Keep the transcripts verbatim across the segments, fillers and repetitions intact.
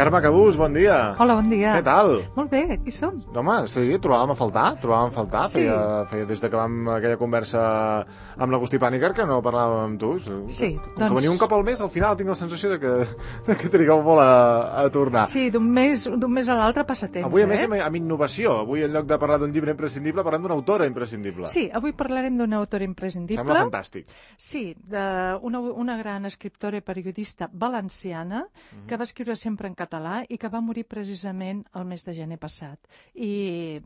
Carme Cabús, bon dia. Hola, bon dia. Què tal? Molt bé, aquí som. Home, sí, trobàvem a faltar, trobàvem a faltar. Sí. Feia, feia des de que vam aquella conversa amb l'Agustí Pàniker que no parlàvem amb tu. Sí, Com doncs... que veniu un cop al mes, al final tinc la sensació de que, de que trigueu molt a, a tornar. Sí, d'un mes, d'un mes a l'altre passa temps, Avui, a més, eh? amb, amb innovació. Avui, en lloc de parlar d'un llibre imprescindible, parlem d'una autora imprescindible. Sí, avui parlarem d'una autora imprescindible. Sembla fantàstic. Sí, d'una una gran escriptora i periodista valenciana Mm-hmm. que va escriure sempre en català i que va morir precisament el mes de gener passat. I,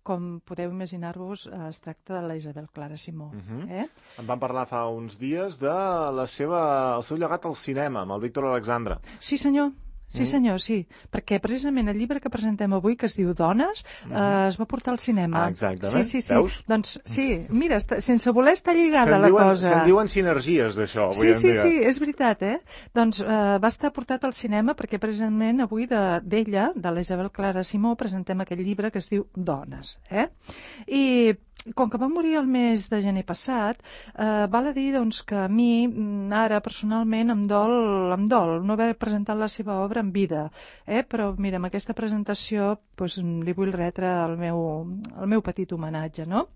com podeu imaginar-vos, es tracta de la Isabel Clara Simó. Mhm. eh? En vam parlar fa uns dies de la seva, el seu llegat al cinema, amb el Víctor Alexandre. Sí, senyor. Sí, senyor, sí. Perquè precisament el llibre que presentem avui, que es diu Dones, eh, es va portar al cinema. Ah, exactament. Sí, sí, sí. Veus? Doncs sí, mira, està, sense voler estar lligada Se'n la diuen, cosa. se'n diuen sinergies d'això, avui Sí, en sí, dia. sí, és veritat, eh? Doncs eh, va estar portat al cinema perquè precisament avui de- d'ella, de, de la Isabel Clara Simó, presentem aquest llibre que es diu Dones, eh? I com que va morir el mes de gener passat, eh, val a dir doncs, que a mi, mm, ara, personalment, em dol, em dol no haver presentat la seva obra en vida, eh? Però, mira, amb aquesta presentació doncs, li vull retre el meu, el meu petit homenatge, no?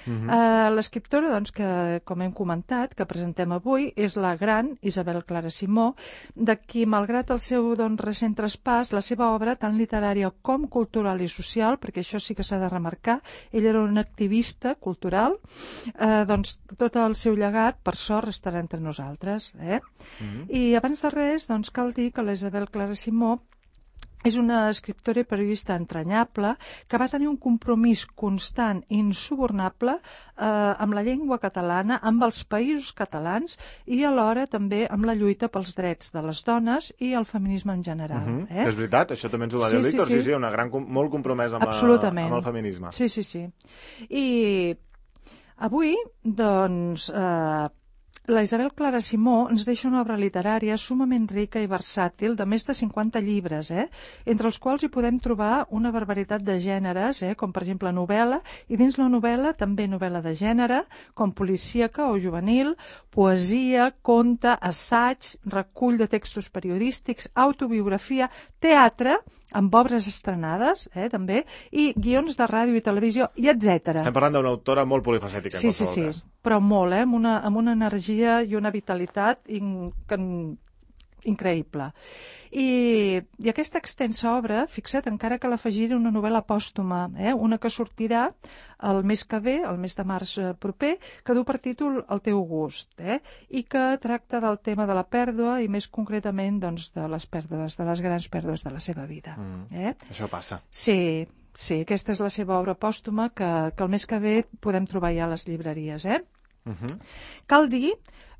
Mhm. Eh, L'escriptora, doncs, que, com hem comentat, que presentem avui, és la gran Isabel Clara Simó, de qui, malgrat el seu doncs, recent traspàs, la seva obra, tant literària com cultural i social, perquè això sí que s'ha de remarcar, ella era una activista cultural, eh, doncs tot el seu llegat, per sort, estarà entre nosaltres. Eh? Mhm. I abans de res, doncs, cal dir que la Isabel Clara Simó és una escriptora i periodista entranyable que va tenir un compromís constant i insubornable eh, amb la llengua catalana, amb els països catalans i alhora també amb la lluita pels drets de les dones i el feminisme en general. Mhm. eh? És veritat, això també ens ho va dir Sí, el sí, Víctor, sí, sí. sí, una gran, com- molt compromesa amb, Absolutament. amb el feminisme. Sí, sí, sí. I avui, doncs, eh, la Isabel Clara Simó ens deixa una obra literària sumament rica i versàtil de més de cinquanta llibres, eh? entre els quals hi podem trobar una barbaritat de gèneres, eh? com per exemple novel·la, i dins la novel·la també novel·la de gènere, com policíaca o juvenil, poesia, conte, assaig, recull de textos periodístics, autobiografia, teatre, amb obres estrenades, eh, també, i guions de ràdio i televisió, i etcètera. Estem parlant d'una autora molt polifacètica, Sí, en sí, qualsevol sí, cas. però molt, eh? amb, una, amb una energia i una vitalitat in, que, increïble. I, I aquesta extensa obra, fixa't, encara que l'afegiré una novel·la pòstuma, eh? una que sortirà el mes que ve, el mes de març eh, proper, que du per títol El teu gust, eh? i que tracta del tema de la pèrdua i més concretament doncs, de les pèrdues, de les grans pèrdues de la seva vida. Mm. Eh? Això passa. Sí, sí, aquesta és la seva obra pòstuma que, que el mes que ve podem trobar ja a les llibreries. Eh? Mhm. Cal dir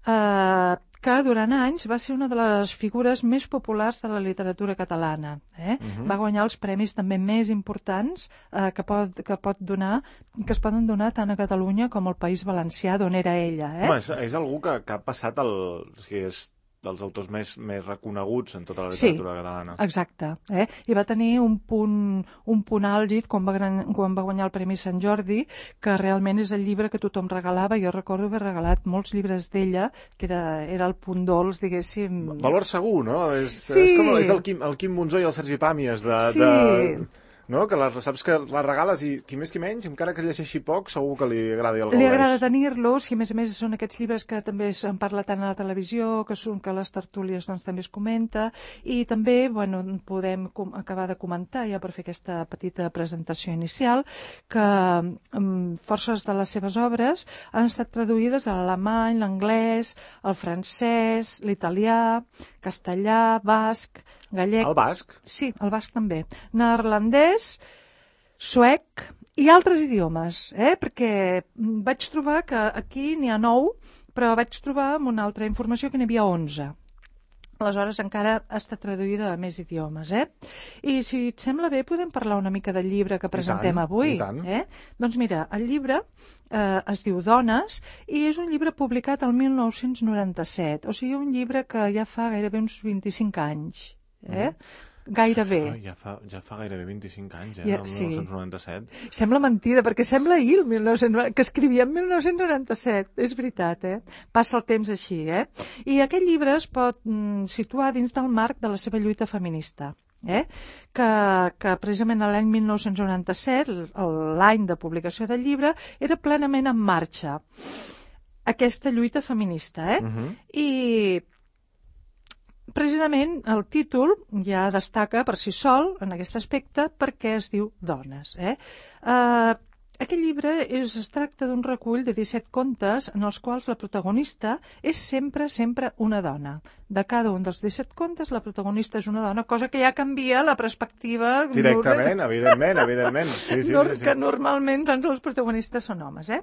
eh, que durant anys va ser una de les figures més populars de la literatura catalana. Eh? Mhm. Va guanyar els premis també més importants eh, que, pot, que, pot donar, que es poden donar tant a Catalunya com al País Valencià, d'on era ella. Eh? Home, és, és algú que, que ha passat el... O sigui, és dels autors més, més reconeguts en tota la Sí. literatura catalana. Exacte, eh? I va tenir un punt, un punt àlgid quan va, gran, quan va guanyar el Premi Sant Jordi, que realment és el llibre que tothom regalava. Jo recordo haver regalat molts llibres d'ella, que era, era el punt dolç, diguéssim. Valor segur, no? És, Sí. és com és el Quim, el Quim Monzó i el Sergi Pàmies de... Sí. de... No? Que les, saps que les regales i qui més qui menys, encara que llegeixi poc, segur que li agrada i el Li gaudeix. agrada tenir-los, i a més a més són aquests llibres que també se'n parla tant a la televisió, que són que a les tertúlies doncs, també es comenta, i també bueno, podem com, acabar de comentar, ja per fer aquesta petita presentació inicial, que um, forces de les seves obres han estat traduïdes a l'alemany, l'anglès, el francès, l'italià, castellà, basc, gallec... El basc? Sí, el basc també. Neerlandès, suec i altres idiomes, eh? Perquè vaig trobar que aquí n'hi ha nou, però vaig trobar amb una altra informació que n'hi havia onze. Aleshores encara ha estat traduïda a més idiomes, eh? I si et sembla bé podem parlar una mica del llibre que presentem tant, avui. i tant. Eh? Doncs mira, el llibre eh, es diu Dones i és un llibre publicat el mil nou-cents noranta-set, o sigui un llibre que ja fa gairebé uns vint-i-cinc anys, eh? Mm. Gairebé. Ah, ja, fa, ja fa gairebé vint-i-cinc anys, eh? Ja, el sí. mil nou-cents noranta-set. Sembla mentida, perquè sembla ahir, el mil nou-cents, que escrivia en mil nou-cents noranta-set. És veritat, eh? Passa el temps així, eh? I aquest llibre es pot mm, situar dins del marc de la seva lluita feminista. eh? que, que precisament l'any mil nou-cents noranta-set, l'any de publicació del llibre, era plenament en marxa aquesta lluita feminista. Eh? Uh-huh. I precisament el títol ja destaca per si sol en aquest aspecte perquè es diu Dones. Eh? Uh, Aquest llibre és, es tracta d'un recull de disset contes en els quals la protagonista és sempre, sempre una dona. De cada un dels disset contes la protagonista és una dona, cosa que ja canvia la perspectiva... Directament, evidentment, evidentment. Sí, sí, no, sí, sí. Que normalment doncs, els protagonistes són homes. Eh?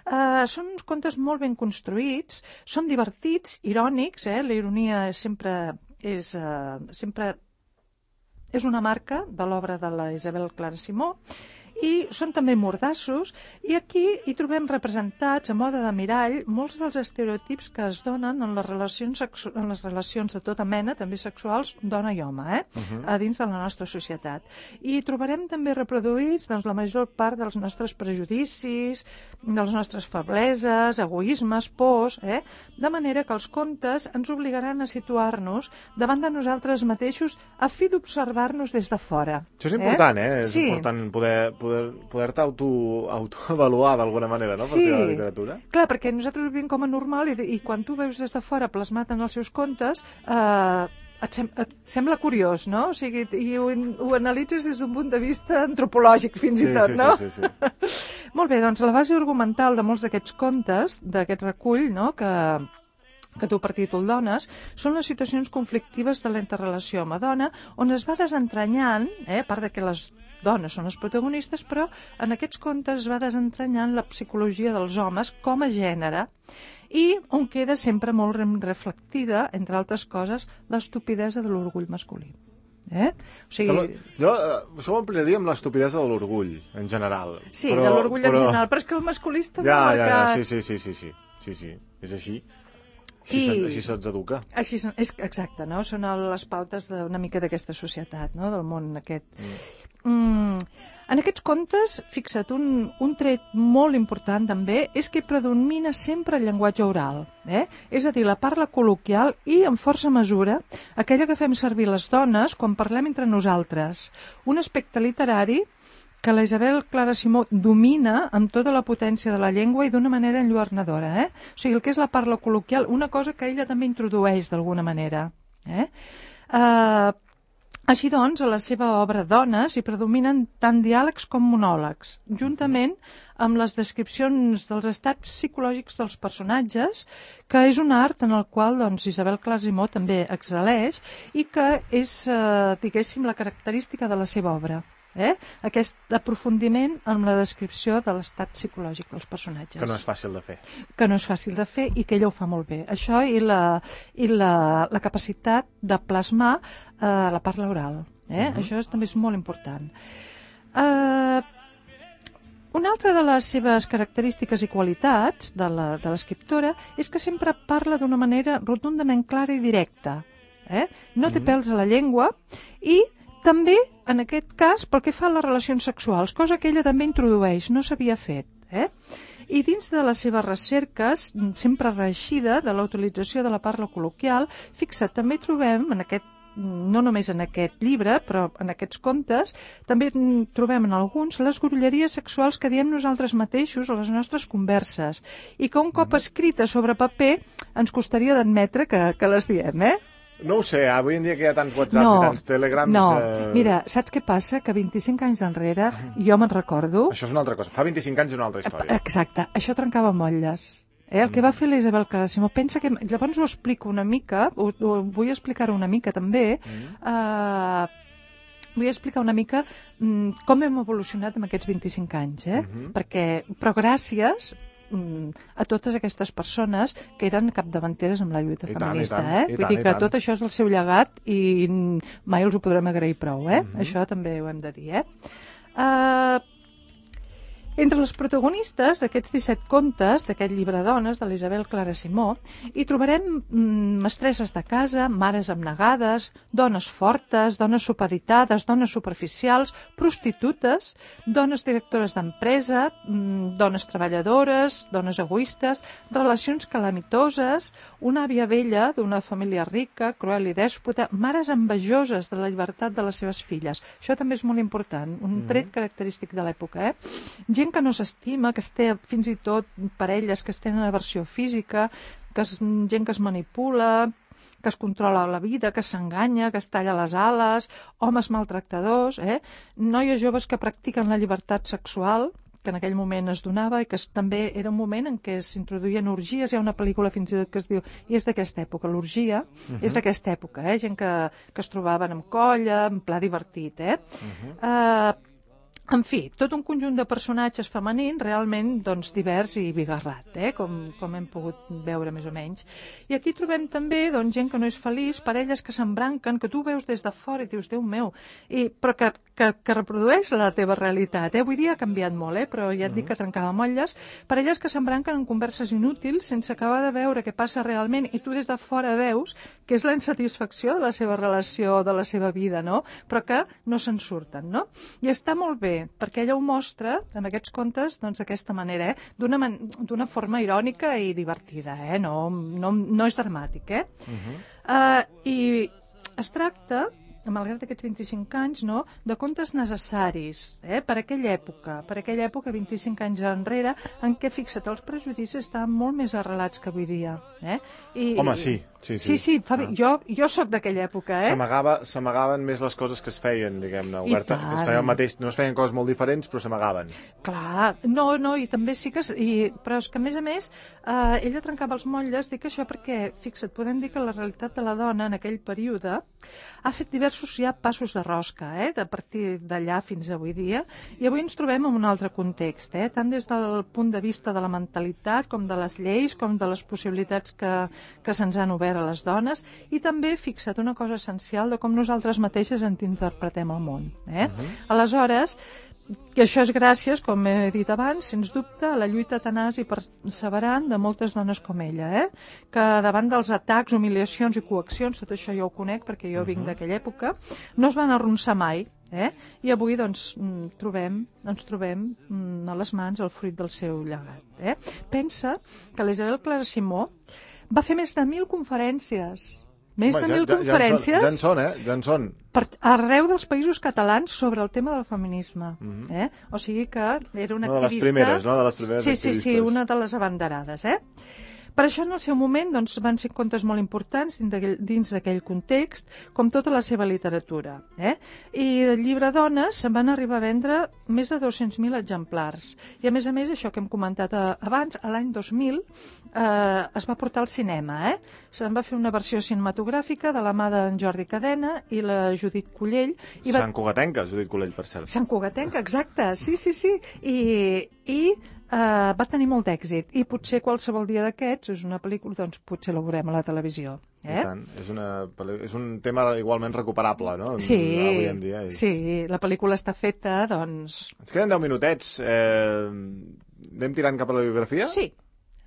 Uh, són uns contes molt ben construïts, són divertits, irònics, eh? La ironia sempre és, uh, sempre és una marca de l'obra de la Isabel Clara Simó, i són també mordassos, i aquí hi trobem representats a mode de mirall molts dels estereotips que es donen en les relacions, sexu en les relacions de tota mena, també sexuals, dona i home, eh? Uh-huh. A dins de la nostra societat. I trobarem també reproduïts doncs, la major part dels nostres prejudicis, de les nostres febleses, egoismes, pors, eh? De manera que els contes ens obligaran a situar-nos davant de nosaltres mateixos a fi d'observar-nos des de fora. Això és important, eh? eh? És sí. important poder poder-te poder auto, autoavaluar d'alguna manera, no? Sí, per la literatura. Clar, perquè nosaltres ho vivim com a normal i, i quan tu veus des de fora plasmat en els seus contes, eh, et, sem et sembla curiós, no? O sigui, i ho, ho analitzes des d'un punt de vista antropològic, fins sí, i tot, sí, no? Sí, sí, sí. Molt bé, doncs la base argumental de molts d'aquests contes, d'aquest recull, no?, que que tu per títol Dones, són les situacions conflictives de la interrelació home-dona, on es va desentranyant, eh, a part de que les dones són les protagonistes, però en aquests contes es va desentranyant la psicologia dels homes com a gènere, i on queda sempre molt reflectida, entre altres coses, l'estupidesa de l'orgull masculí. Eh? O sigui... Jo uh, això ho ampliaria amb l'estupidesa de l'orgull, en general. Sí, però, de l'orgull però... en general, però és que el masculí està ja, molt ja, marcat. ja, sí, sí, sí, sí, sí, sí, és així. Així, I... se, així se'ls educa. Així, és, exacte, no? Són les pautes d'una mica d'aquesta societat, no? Del món aquest. Mm. Mm, en aquests contes, fixa't, un, un tret molt important també és que predomina sempre el llenguatge oral, eh? És a dir, la parla col·loquial i, en força mesura, aquella que fem servir les dones quan parlem entre nosaltres. Un aspecte literari que la Isabel Clara Simó domina amb tota la potència de la llengua i d'una manera enlluernadora. Eh? O sigui, el que és la parla col·loquial, una cosa que ella també introdueix d'alguna manera. Eh? Uh, així doncs, a la seva obra Dones hi predominen tant diàlegs com monòlegs, juntament amb les descripcions dels estats psicològics dels personatges, que és un art en el qual doncs, Isabel Clara Simó també excel·leix i que és, uh, diguéssim, la característica de la seva obra. Eh? Aquest aprofundiment en la descripció de l'estat psicològic dels personatges. Que no és fàcil de fer. Que no és fàcil de fer i que ella ho fa molt bé. Això i la, i la, la capacitat de plasmar eh, la parla oral. Eh? Uh-huh. Això és, també és molt important. Eh, una altra de les seves característiques i qualitats de l'escriptora és que sempre parla d'una manera rotundament clara i directa. Eh? No té uh-huh. pèls a la llengua i també, en aquest cas, pel que fa a les relacions sexuals, cosa que ella també introdueix, no s'havia fet. Eh? I dins de les seves recerques, sempre reeixida de la utilització de la parla col·loquial, fixa't, també trobem, en aquest, no només en aquest llibre, però en aquests contes, també trobem en alguns les grolleries sexuals que diem nosaltres mateixos a les nostres converses, i que un cop escrita sobre paper ens costaria d'admetre que, que les diem, eh? No ho sé, avui en dia que hi ha tants whatsapps no, i tants telegrams... No, eh... mira, saps què passa? Que vint-i-cinc anys enrere, jo me'n recordo... Això és una altra cosa, fa vint-i-cinc anys és una altra història. Exacte, això trencava motlles. Eh? El mm. que va fer la Isabel Clara Simó, pensa que... Llavors ho explico una mica, ho, ho vull explicar una mica també, mm. uh, vull explicar una mica um, com hem evolucionat en aquests vint-i-cinc anys, eh? Mm-hmm. Perquè, però gràcies... a totes aquestes persones que eren capdavanteres amb la lluita I feminista. Tant, eh? i Vull tant, dir que tant. tot això és el seu llegat i mai els ho podrem agrair prou. Eh? Mm-hmm. Això també ho hem de dir. Eh? Uh, Entre les protagonistes d'aquests disset contes, d'aquest llibre dones, de l'Isabel Clara Simó, hi trobarem mm, mestresses de casa, mares abnegades, dones fortes, dones supeditades, dones superficials, prostitutes, dones directores d'empresa, mm, dones treballadores, dones egoistes, relacions calamitoses, una àvia vella d'una família rica, cruel i dèspota, mares envejoses de la llibertat de les seves filles. Això també és molt important, un tret característic de l'època, eh? Gent que no s'estima, que es té fins i tot parelles que es tenen aversió física, que és gent que es manipula, que es controla la vida, que s'enganya, que es talla les ales, homes maltractadors, eh? Noies joves que practiquen la llibertat sexual, que en aquell moment es donava i que es, també era un moment en què s'introduïen orgies. Hi ha una pel·lícula fins i tot que es diu, i és d'aquesta època, l'orgia, uh-huh. és d'aquesta època, eh? Gent que, que es trobaven en colla, en pla divertit, eh? Uh-huh. Uh, En fi, tot un conjunt de personatges femenins realment doncs, divers i bigarrat, eh? com, com hem pogut veure més o menys. I aquí trobem també doncs, gent que no és feliç, parelles que s'embranquen, que tu veus des de fora i dius, Déu meu, i, però que, que, que reprodueix la teva realitat. Eh? Avui dia ha canviat molt, eh? Però ja et dic que trencava motlles. Parelles que s'embranquen en converses inútils sense acabar de veure què passa realment i tu des de fora veus que és la insatisfacció de la seva relació, de la seva vida, no? Però que no se'n surten, no? I està molt bé, perquè ella ho mostra en aquests contes doncs, d'aquesta manera, eh? d'una man d'una forma irònica i divertida, eh? no, no, no és dramàtic. Eh? Uh-huh. uh, I es tracta, malgrat aquests vint-i-cinc anys, no? de contes necessaris eh? per aquella època, per aquella època, vint-i-cinc anys enrere, en què, fixa't, els prejudicis estaven molt més arrelats que avui dia. Eh? I, Home, sí. Sí, sí, sí, sí fa... ah. jo, jo sóc d'aquella època, eh? S'amagaven més les coses que es feien, diguem-ne, oberta. Es feien el mateix, no es feien coses molt diferents, però s'amagaven. Clar, no, no, i també sí que... I, però és que, a més a més, eh, ella trencava els motlles, dic això perquè, fixa't, podem dir que la realitat de la dona en aquell període ha fet diversos ja passos de rosca, eh? De partir d'allà fins avui dia, i avui ens trobem en un altre context, eh? Tant des del punt de vista de la mentalitat, com de les lleis, com de les possibilitats que, que se'ns han obert a les dones, i també, fixa't, una cosa essencial de com nosaltres mateixes ens interpretem el món. Eh? Uh-huh. Aleshores, que això és gràcies, com he dit abans, sens dubte, a la lluita tenaç i perseverant de moltes dones com ella, eh? que davant dels atacs, humiliacions i coaccions, tot això jo ho conec perquè jo uh-huh. vinc d'aquella època, no es van arronsar mai. Eh? I avui doncs, trobem, ens trobem a les mans el fruit del seu llegat. Eh? Pensa que l'Isabel Clara Simó va fer més de mil conferències. Més Home, de mil ja, ja, conferències. Ja en són, eh? Ja en són. Per, arreu dels països catalans sobre el tema del feminisme. Mm-hmm. eh? O sigui que era una, una activista... de les primeres, no? De les primeres sí, activistes. Sí, sí, una de les abanderades, eh? Per això, en el seu moment, doncs, van ser contes molt importants dins d'aquell context, com tota la seva literatura. Eh? I del llibre Dones se'n van arribar a vendre més de dos-cents mil exemplars. I, a més a més, això que hem comentat abans, a l'any dos mil eh, es va portar al cinema. Eh? Se'n va fer una versió cinematogràfica de la mà d'en Jordi Cadena i la Judit Collell. I va... Sant Cugatenca, Judit Collell, per cert. Sant Cugatenca, exacte, sí, sí, sí. I... i Uh, va tenir molt d'èxit i potser qualsevol dia d'aquests és una pel·lícula, doncs potser la veurem a la televisió. Eh? I tant. És, una, és un tema igualment recuperable, no? Sí, avui en dia és... sí, la pel·lícula està feta, doncs... Ens queden deu minutets. Eh, anem tirant cap a la biografia? Sí,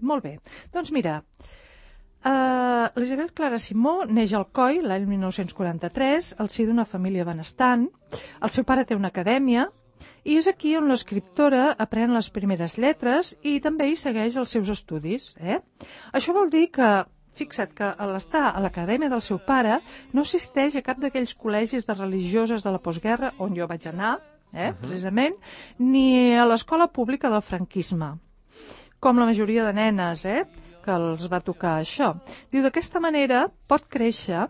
molt bé. Doncs mira, uh, l'Isabel Clara Simó neix al Coi l'any mil nou-cents quaranta-tres, al si d'una família benestant. El seu pare té una acadèmia, i és aquí on l'escriptora aprèn les primeres lletres i també hi segueix els seus estudis. Eh? Això vol dir que, fixa't, que a l'estar a l'acadèmia del seu pare no assisteix a cap d'aquells col·legis de religioses de la postguerra on jo vaig anar, eh, uh-huh. precisament, ni a l'escola pública del franquisme, com la majoria de nenes eh, que els va tocar això. Diu, d'aquesta manera pot créixer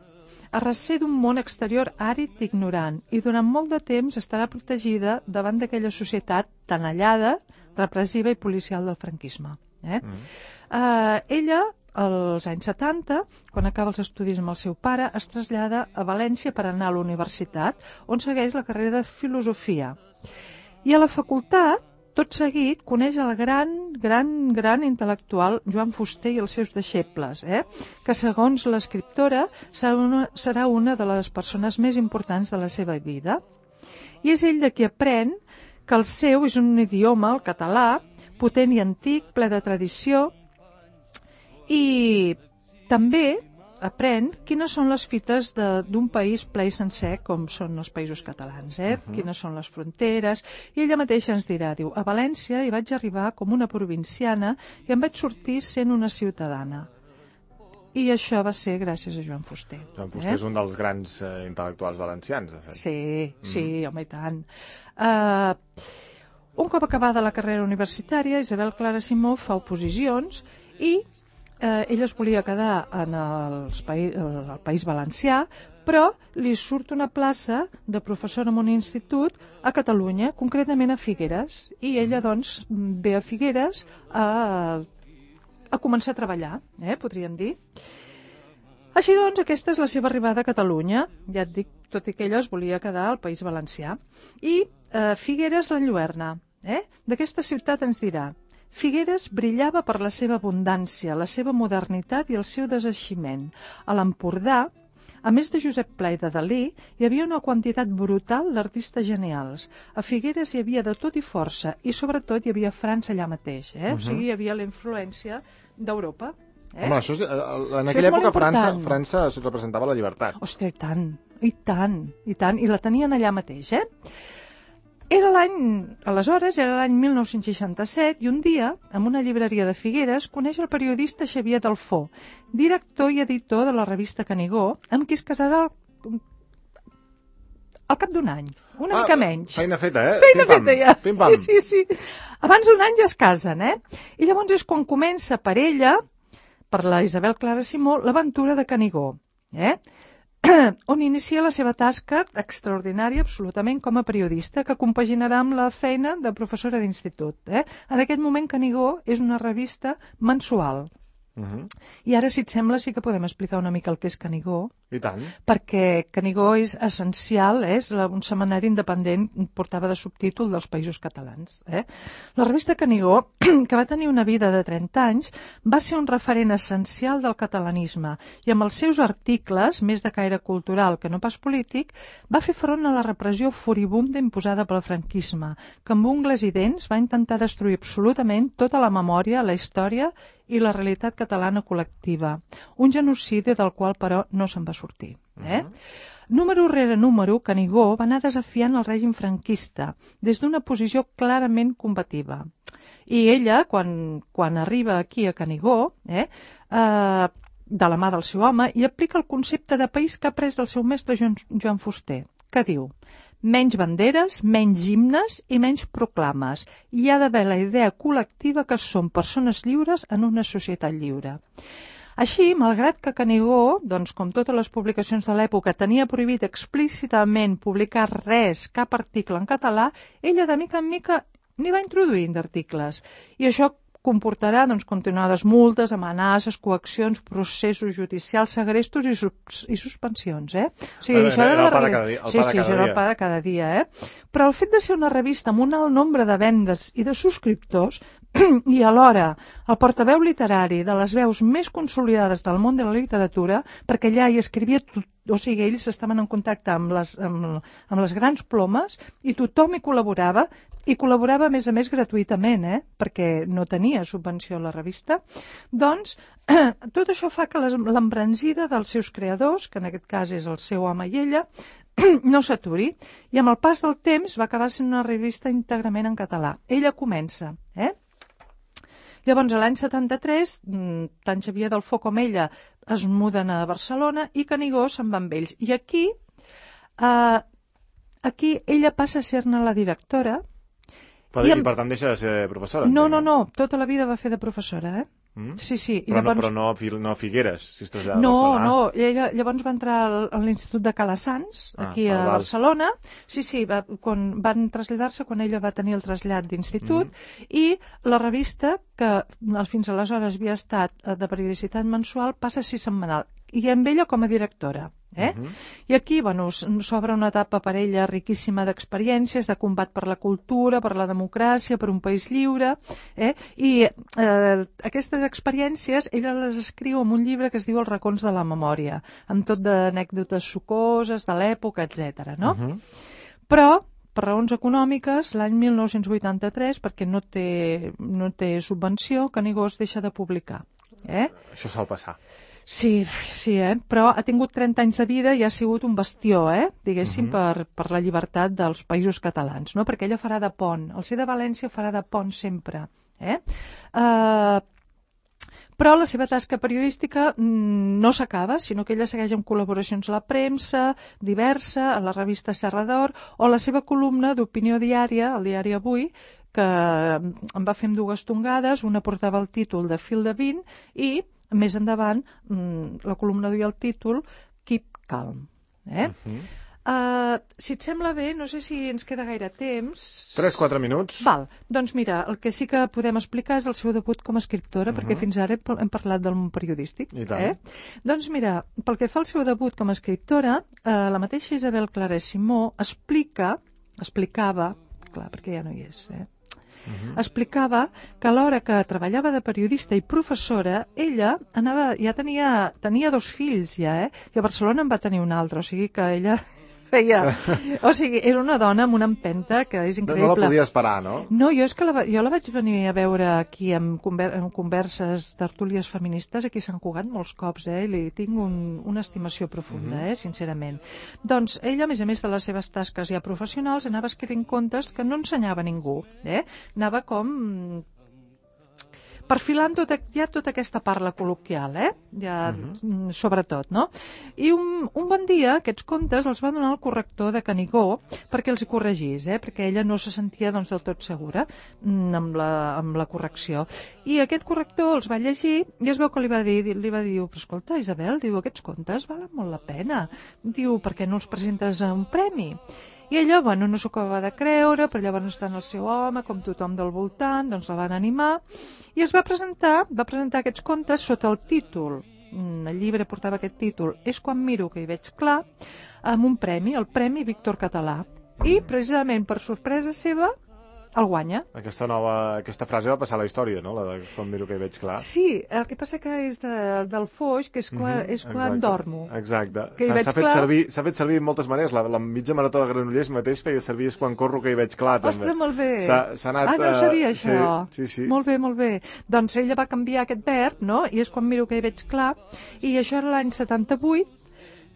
a recer d'un món exterior àrid i ignorant i durant molt de temps estarà protegida davant d'aquella societat tenallada, repressiva i policial del franquisme. Eh? Mm. Uh, ella, als anys setanta, quan acaba els estudis amb el seu pare, es trasllada a València per anar a la universitat, on segueix la carrera de filosofia. I a la facultat, tot seguit, coneix el gran, gran, gran intel·lectual Joan Fuster i els seus deixebles, eh? que segons l'escriptora serà una, serà una de les persones més importants de la seva vida. I és ell de qui aprèn que el seu és un idioma, el català, potent i antic, ple de tradició, i també aprèn quines són les fites d'un país ple i sencer com són els països catalans, eh? Uh-huh. Quines són les fronteres, i ella mateixa ens dirà, diu, a València hi vaig arribar com una provinciana i em vaig sortir sent una ciutadana. I això va ser gràcies a Joan Fuster. Joan Fuster eh? és un dels grans eh, intel·lectuals valencians, de fet. Sí, sí, mm. home, i tant. Uh, un cop acabada la carrera universitària, Isabel Clara Simó fa oposicions i Eh, ella es volia quedar en els país, el País Valencià, però li surt una plaça de professora en un institut a Catalunya, concretament a Figueres, i ella doncs ve a Figueres a, a començar a treballar, eh, podríem dir. Així doncs, aquesta és la seva arribada a Catalunya, ja et dic, tot i que ella es volia quedar al País Valencià. I eh, Figueres l'enlluerna, eh? D'aquesta ciutat ens dirà: Figueres brillava per la seva abundància, la seva modernitat i el seu deseiximent. A l'Empordà, a més de Josep Pla i de Dalí, hi havia una quantitat brutal d'artistes genials. A Figueres hi havia de tot i força, i sobretot hi havia França allà mateix, eh? Uh-huh. O sigui, hi havia la influència d'Europa. Eh? Home, això és, en aquella època França, França representava la llibertat. Ostres, i tant, i tant, i tant, i la tenien allà mateix, eh? Era l'any, aleshores, era l'any mil nou-cents seixanta-set, i un dia, en una llibreria de Figueres, coneix el periodista Xavier Dalfó, director i editor de la revista Canigó, amb qui es casarà al cap d'un any, una ah, mica menys. Feina feta, eh? Feina Pim, feta, ja. Pim, pam. Sí, sí, sí. Abans d'un any ja es casen, eh? I llavors és quan comença per ella, per la Isabel Clara Simó, l'aventura de Canigó, eh? On inicia la seva tasca extraordinària absolutament com a periodista, que compaginarà amb la feina de professora d'institut. Eh? En aquest moment Canigó és una revista mensual. Uh-huh. I ara, si et sembla, sí que podem explicar una mica el que és Canigó. I tant. Perquè Canigó és essencial, eh? És un setmanari independent, portava de subtítol dels Països Catalans. Eh? La revista Canigó, que va tenir una vida de trenta anys, va ser un referent essencial del catalanisme i amb els seus articles, més de caire cultural que no pas polític, va fer front a la repressió furibunda imposada pel franquisme, que amb ungles i dents va intentar destruir absolutament tota la memòria, la història i la realitat catalana col·lectiva. Un genocidi del qual, però, no se'n va sortir. Eh? Uh-huh. Número rere número, Canigó va anar desafiant el règim franquista des d'una posició clarament combativa. I ella, quan, quan arriba aquí a Canigó, eh, eh, de la mà del seu home, i aplica el concepte de país que ha pres del seu mestre Joan, Joan Fuster, que diu: menys banderes, menys himnes i menys proclames. Hi ha d'haver la idea col·lectiva que som persones lliures en una societat lliure. Així, malgrat que Canigó, doncs, com totes les publicacions de l'època, tenia prohibit explícitament publicar res, cap article en català, ella de mica en mica n'hi va introduint d'articles. I això comportarà doncs, continuades multes, amenaces, coaccions, processos judicials, segrestos i, sus i suspensions. Eh? O sigui, era, això era, era el la... pa de cada dia. Sí, sí, això era el pa de cada dia. Eh? Però el fet de ser una revista amb un alt nombre de vendes i de subscriptors i alhora el portaveu literari de les veus més consolidades del món de la literatura, perquè allà hi escrivia tot, o sigui, ells estaven en contacte amb les, amb, amb les grans plomes i tothom hi col·laborava, i col·laborava a més a més gratuïtament, eh? Perquè no tenia subvenció a la revista. Doncs tot això fa que l'embranzida dels seus creadors, que en aquest cas és el seu home i ella, no s'aturi, i amb el pas del temps va acabar sent una revista íntegrament en català. Ella comença, eh? Llavors, a l'any setanta-tres, tant Xavier Dalfó com ella es muden a Barcelona i Canigó se'n va amb ells. I aquí, eh, aquí ella passa a ser-ne la directora. Però, I, amb... I per tant deixa de ser professora? No, no, no, tota la vida va fer de professora, eh? Mm? Sí, sí. I però, llavors... no, però no, no a Figueres, si es trasllada no, a Barcelona. No, no, ella llavors va entrar al, a l'Institut de Calassans, aquí ah, a Barcelona. Sí, sí, va, quan, van traslladar-se quan ella va tenir el trasllat d'institut, mm. i la revista, que fins aleshores havia estat de periodicitat mensual, passa a ser setmanal, i amb ella com a directora. Eh? Uh-huh. I aquí, bueno, s'obre una etapa per ella riquíssima d'experiències, de combat per la cultura, per la democràcia, per un país lliure, eh? I eh, aquestes experiències ella les escriu en un llibre que es diu Els racons de la memòria, amb tot d'anècdotes sucoses de l'època, etcètera, no? Uh-huh. Però, per raons econòmiques, l'any mil nou-cents vuitanta-tres, perquè no té, no té subvenció, Canigó es deixa de publicar. Eh? Això sol passar. Sí, sí, eh? Però ha tingut trenta anys de vida i ha sigut un bastió, eh? diguéssim, uh -huh. per, per la llibertat dels països catalans, no? Perquè ella farà de pont. El ser de València farà de pont sempre. Eh? Uh, Però la seva tasca periodística no s'acaba, sinó que ella segueix amb col·laboracions a la premsa, diversa, a la revista Serra d'Or, o la seva columna d'opinió diària, al diari Avui, que em va fer amb dues tongades, una portava el títol de Fil de vint i, més endavant, la columna duia el títol Keep Calm. Eh? Uh-huh. Uh, si et sembla bé, no sé si ens queda gaire temps... tres quatre minuts. Val, doncs mira, el que sí que podem explicar és el seu debut com a escriptora, uh-huh. perquè fins ara hem parlat del món periodístic. I tant. Eh? Doncs mira, pel que fa al seu debut com a escriptora, uh, la mateixa Isabel Clara Simó explica, explicava, clar, perquè ja no hi és, eh? Uh-huh. explicava que a l'hora que treballava de periodista i professora, ella anava, ja tenia, tenia dos fills ja, eh? i a Barcelona en va tenir un altre, o sigui que ella... feia... O sigui, era una dona amb una empenta que és increïble. No la podia esperar, no? No, jo és que la, jo la vaig venir a veure aquí en, conver, en converses, tertúlies feministes, aquí a Sant Cugat molts cops, eh? I li tinc un, una estimació profunda, mm-hmm. eh? sincerament. Doncs ella, a més a més de les seves tasques ja professionals, anava escrivint contes que no ensenyava ningú, eh? Anava com... perfilant tota, ja tota aquesta parla col·loquial, eh? ja, uh-huh. sobretot, no? I un, un bon dia aquests contes els va donar el corrector de Canigó perquè els hi corregís, eh? perquè ella no se sentia doncs, del tot segura amb la, amb la correcció. I aquest corrector els va llegir i es veu que li va dir, li va dir, però escolta, Isabel, diu, aquests contes valen molt la pena. Diu, per què no els presentes a un premi? I ella, bueno, no s'ho acabava de creure, però llavors està en el seu home, com tothom del voltant, doncs la van animar, i es va presentar, va presentar aquests contes sota el títol, el llibre portava aquest títol, És quan miro que hi veig clar, amb un premi, el Premi Víctor Català, i precisament per sorpresa seva, el guanya. Aquesta nova, aquesta frase va passar a la història, no? La de quan miro que hi veig clar. Sí, el que passa que és de, del Foix, que és quan, mm-hmm, és quan exacte, dormo. Exacte. S'ha fet, servir, s'ha fet servir de moltes maneres. La, la mitja marató de Granollers mateix feia servir és quan corro que hi veig clar, també. Ostres, molt bé. S'ha anat... Ah, no sabia això. Sí, sí, sí. Molt bé, molt bé. Doncs ella va canviar aquest verb, no? I és quan miro que hi veig clar. I això era l'any setanta-vuit,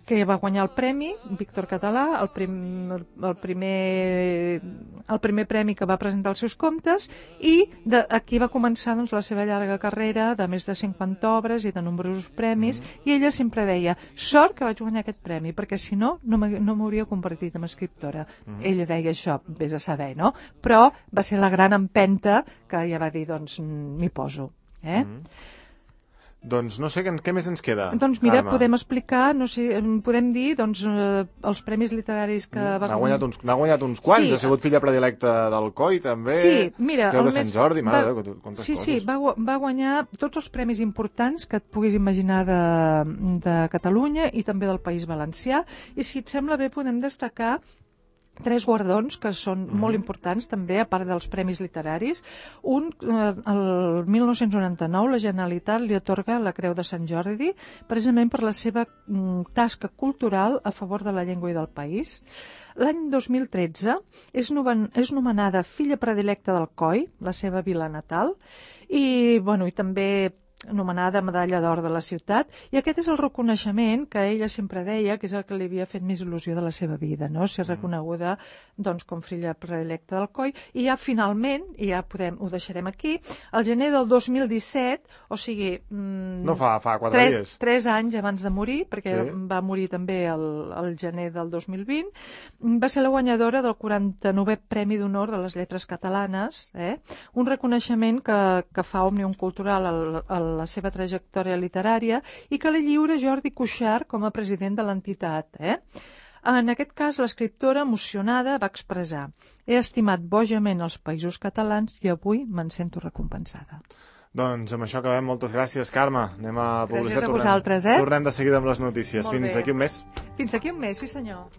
que va guanyar el premi, Víctor Català, el, prim, el, primer, el primer premi que va presentar els seus contes, i de, aquí va començar doncs, la seva llarga carrera de més de cinquanta obres i de nombrosos premis, mm-hmm. i ella sempre deia, sort que vaig guanyar aquest premi, perquè si no, no m'hauria convertit en escriptora. Mm-hmm. Ella deia això, vés a saber, no? Però va ser la gran empenta que ella va dir, doncs, m'hi poso. Eh? Mm-hmm. Doncs no sé, què més ens queda? Doncs mira, Carme, podem explicar, no sé, podem dir, doncs, eh, els premis literaris que va... N'ha guanyat uns, n'ha guanyat uns quants, sí. Ha sigut filla predilecta del Coi, també. Sí, mira... Creu de Sant Jordi, mare va... de quantes sí, coses. Sí, va, va guanyar tots els premis importants que et puguis imaginar de, de Catalunya i també del País Valencià, i si et sembla bé podem destacar tres guardons que són mm-hmm. molt importants també, a part dels premis literaris. Un, eh, el mil nou-cents noranta-nou, la Generalitat li atorga la Creu de Sant Jordi precisament per la seva mm, tasca cultural a favor de la llengua i del país. L'any dos mil tretze és, noven, és nomenada filla predilecta del Coi, la seva vila natal, i, bueno, i també anomenada Medalla d'Or de la ciutat, i aquest és el reconeixement que ella sempre deia que és el que li havia fet més il·lusió de la seva vida, no? Ser reconeguda doncs, com filla predilecta del Coi, i ja finalment, i ja podem, ho deixarem aquí, al gener del dos mil disset, o sigui... Mmm, no fa, fa quatre tres, dies. Tres anys abans de morir, perquè sí. va morir també el, el gener del dos mil vint, va ser la guanyadora del quaranta-novè Premi d'Honor de les Lletres Catalanes, eh? Un reconeixement que, que fa Òmnium Cultural al, al la seva trajectòria literària i que li lliura Jordi Cuixart com a president de l'entitat. Eh? En aquest cas, l'escriptora, emocionada, va expressar: he estimat bojament els països catalans i avui me'n sento recompensada. Doncs amb això acabem. Moltes gràcies, Carme. Anem a publicitat. Gràcies a vosaltres, eh? Tornem de seguida amb les notícies. Molt Fins bé. Aquí un mes. Fins aquí un mes, sí senyor.